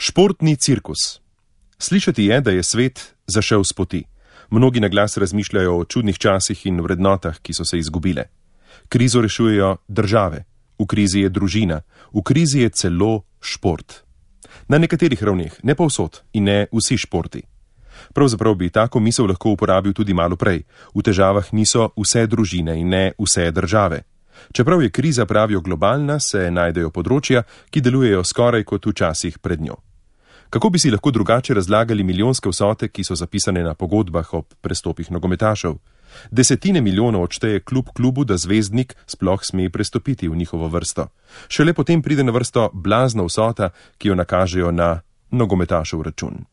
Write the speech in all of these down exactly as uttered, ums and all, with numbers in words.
Športni cirkus. Slišati je, da je svet zašel s poti. Mnogi na glas razmišljajo o čudnih časih in vrednotah, ki so se izgubile. Krizo rešujejo države, v krizi je družina, v krizi je celo šport. Na nekaterih ravneh, ne povsod in ne vsi športi. Pravzaprav bi tako misel lahko uporabil tudi malo prej. V težavah niso vse družine in ne vse države. Čeprav je kriza, pravijo, globalna, se najdejo področja, ki delujejo skoraj kot včasih pred njo. Kako bi si lahko drugače razlagali milijonske vsote, ki so zapisane na pogodbah ob prestopih nogometašev? Desetine milijonov odšteje klub klubu, da zvezdnik sploh sme prestopiti v njihovo vrsto. Šele potem pride na vrsto blazna vsota, ki jo nakažejo na nogometašev račun.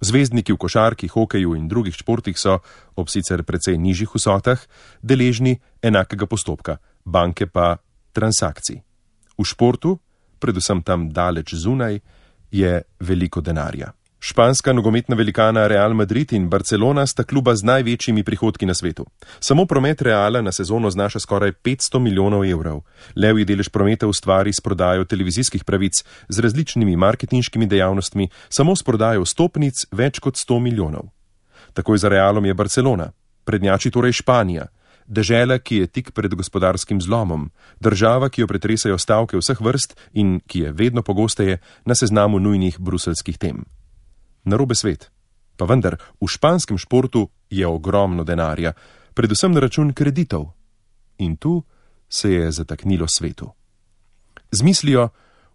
Zvezdniki v košarki, hokeju in drugih športih so, ob sicer precej nižjih vsotah, deležni enakega postopka, banke pa transakcij. V športu, predvsem tam daleč zunaj, je veliko denarja. Španska nogometna velikana Real Madrid in Barcelona sta kluba z največjimi prihodki na svetu. Samo promet Reala na sezono znaša skoraj petsto milijonov evrov. Levji delež prometa ustvari s prodajo televizijskih pravic z različnimi marketinškimi dejavnostmi, samo s prodajo stopnic več kot sto milijonov. Takoj za Realom je Barcelona, prednjači torej Španija, dežela, ki je tik pred gospodarskim zlomom, država, ki jo pretresajo stavke vseh vrst in ki je vedno pogosteje na seznamu nujnih bruseljskih tem. Narobe svet. Pa vendar, v španskem športu je ogromno denarja, predvsem na račun kreditov. In tu se je zataknilo svetu. Z mislijo,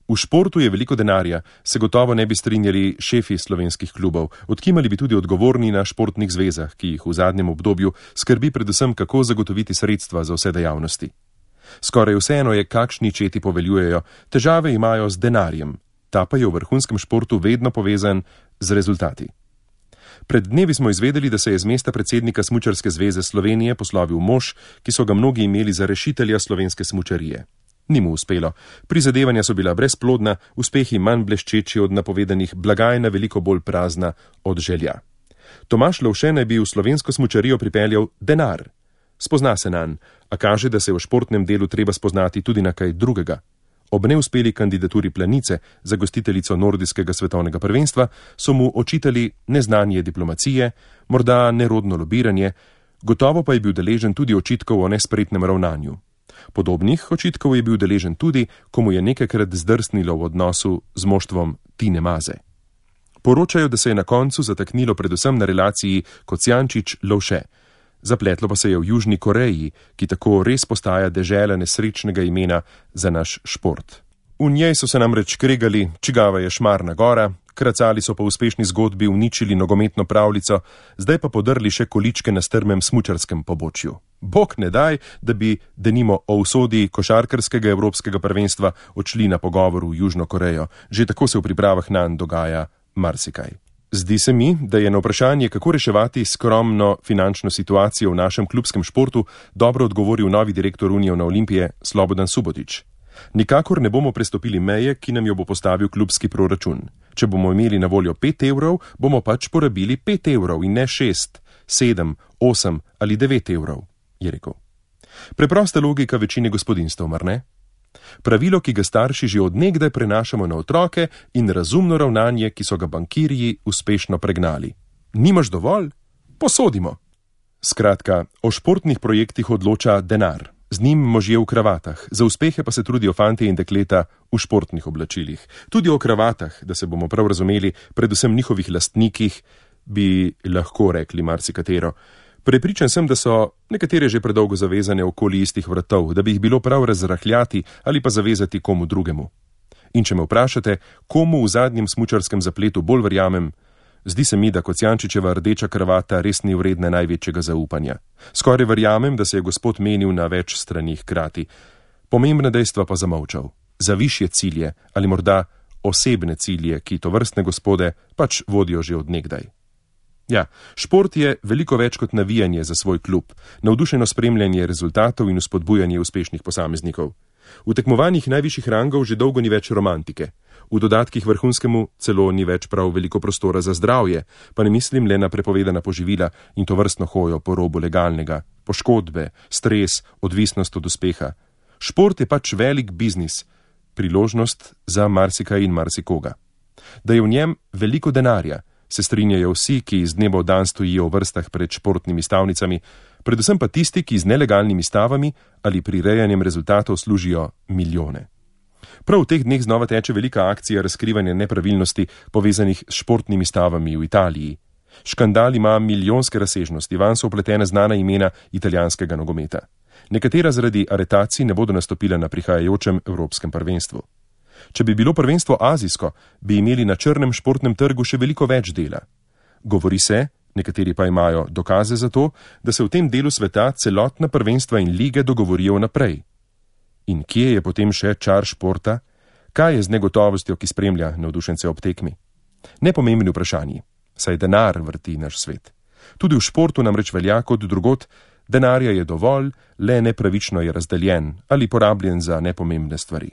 v športu je veliko denarja, se gotovo ne bi strinjali šefi slovenskih klubov, odkimali bi tudi odgovorni na športnih zvezah, ki jih v zadnjem obdobju skrbi predvsem, kako zagotoviti sredstva za vse dejavnosti. Skoraj vseeno je, kakšni četi poveljujejo, težave imajo z denarjem, ta pa je v vrhunskem športu vedno povezan z rezultati. Pred dnevi smo izvedeli, da se je z mesta predsednika Smučarske zveze Slovenije poslovil mož, ki so ga mnogi imeli za rešitelja slovenske smučarije. Ni mu uspelo. Prizadevanja so bila brezplodna, uspehi manj bleščeči od napovedanih, blagajna veliko bolj prazna od želja. Tomaž Lovše naj bi v slovensko smučarijo pripeljal denar. Spozna se nanj, a kaže, da se v športnem delu treba spoznati tudi na kaj drugega. Ob neuspeli kandidaturi Planice za gostiteljico nordijskega svetovnega prvenstva so mu očitali neznanje diplomacije, morda nerodno lobiranje, gotovo pa je bil deležen tudi očitkov o nespretnem ravnanju. Podobnih očitkov je bil deležen tudi, ko mu je nekajkrat zdrsnilo v odnosu z moštvom Tine Maze. Poročajo, da se je na koncu zataknilo predvsem na relaciji Kocijančič-Lovše. Zapletlo pa se je v Južni Koreji, ki tako res postaja dežela nesrečnega imena za naš šport. V njej so se namreč kregali, čigava je Šmarna gora, kracali so po uspešni zgodbi uničili nogometno pravljico, zdaj pa podrli še količke na strmem smučarskem pobočju. Bog ne daj, da bi denimo o usodi košarkarskega evropskega prvenstva odšli na pogovor v Južno Korejo. Že tako se v pripravah nanj dogaja marsikaj. Zdi se mi, da je na vprašanje, kako reševati skromno finančno situacijo v našem klubskem športu, dobro odgovoril novi direktor Unione Olimpije Slobodan Subotić. Nikakor ne bomo prestopili meje, ki nam jo bo postavil klubski proračun. Če bomo imeli na voljo pet evrov, bomo pač porabili pet evrov in ne šest, sedem, osem ali devet evrov, je rekel. Preprosta logika večine gospodinstv, mar ne? Pravilo, ki ga starši že od nekdaj prenašamo na otroke, in razumno ravnanje, ki so ga bankirji uspešno pregnali. Nimaš dovolj? Posodimo. Skratka, o športnih projektih odloča denar. Z njim možje v kravatah, za uspehe pa se trudijo fantje in dekleta v športnih oblačilih. Tudi o kravatah, da se bomo prav razumeli, predvsem njihovih lastnikih, bi lahko rekli marsikatero. Prepričan sem, da so nekatere že predolgo zavezane okoli istih vratov, da bi jih bilo prav razrahljati ali pa zavezati komu drugemu. In če me vprašate, komu v zadnjem smučarskem zapletu bolj verjamem, zdi se mi, da Kocijančičeva rdeča kravata res ni vredna največjega zaupanja. Skoraj verjamem, da se je gospod menil na več stranih hkrati. Pomembna dejstva pa zamolčal. Za višje cilje ali morda osebne cilje, ki tovrstne gospode pač vodijo že od nekdaj. Ja, šport je veliko več kot navijanje za svoj klub, navdušeno spremljanje rezultatov in vzpodbujanje uspešnih posameznikov. V tekmovanjih najvišjih rangov že dolgo ni več romantike. V dodatkih vrhunskemu celo ni več prav veliko prostora za zdravje, pa ne mislim le na prepovedana poživila in to vrstno hojo po robu legalnega, poškodbe, stres, odvisnost od uspeha. Šport je pač velik biznis, priložnost za marsikaj in marsikoga. Da je v njem veliko denarja, se strinjajo vsi, ki iz dneva v dan stojijo v vrstah pred športnimi stavnicami, predvsem pa tisti, ki z nelegalnimi stavami ali prirejanjem rezultatov služijo milijone. Prav v teh dneh znova teče velika akcija razkrivanja nepravilnosti povezanih s športnimi stavami v Italiji. Škandal ima milijonske razsežnosti, vanj so vpletena znana imena italijanskega nogometa. Nekatera zaradi aretacij ne bodo nastopila na prihajajočem evropskem prvenstvu. Če bi bilo prvenstvo azijsko, bi imeli na črnem športnem trgu še veliko več dela. Govori se, nekateri pa imajo dokaze za to, da se v tem delu sveta celotna prvenstva in lige dogovorijo naprej. In kje je potem še čar športa? Kaj je z negotovostjo, ki spremlja navdušence ob tekmi? Nepomembni vprašanji, saj denar vrti naš svet. Tudi v športu namreč velja kot drugot, denarja je dovolj, le nepravično je razdeljen ali porabljen za nepomembne stvari.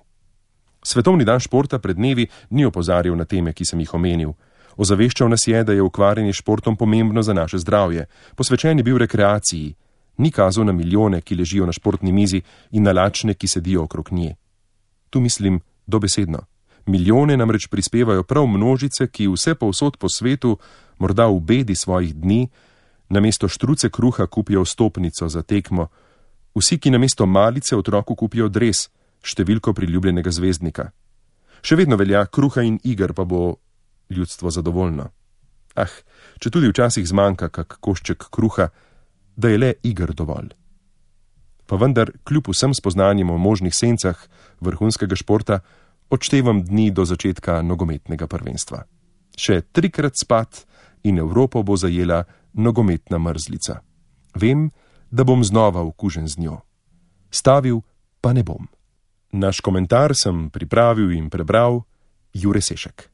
Svetovni dan športa pred dnevi ni opozarjal na teme, ki sem jih omenil. Ozaveščal nas je, da je ukvarjanje s športom pomembno za naše zdravje, posvečen je bil rekreaciji, ni kazal na milijone, ki ležijo na športni mizi in na lačne, ki sedijo okrog nje. Tu mislim dobesedno. Milijone namreč prispevajo prav množice, ki vse povsod po svetu, morda v bedi svojih dni, namesto štruce kruha kupijo vstopnico za tekmo, vsi, ki namesto malice otroku kupijo dres, številko priljubljenega zvezdnika. Še vedno velja, kruha in iger pa bo ljudstvo zadovoljno. Ah, če tudi včasih zmanjka kak košček kruha, da je le iger dovolj. Pa vendar, kljub vsem spoznanjem o možnih sencah vrhunskega športa, odštevam dni do začetka nogometnega prvenstva. Še trikrat spat in Evropo bo zajela nogometna mrzlica. Vem, da bom znova okužen z njo. Stavil pa ne bom. Naš komentar sem pripravil in prebral Jure Sešek.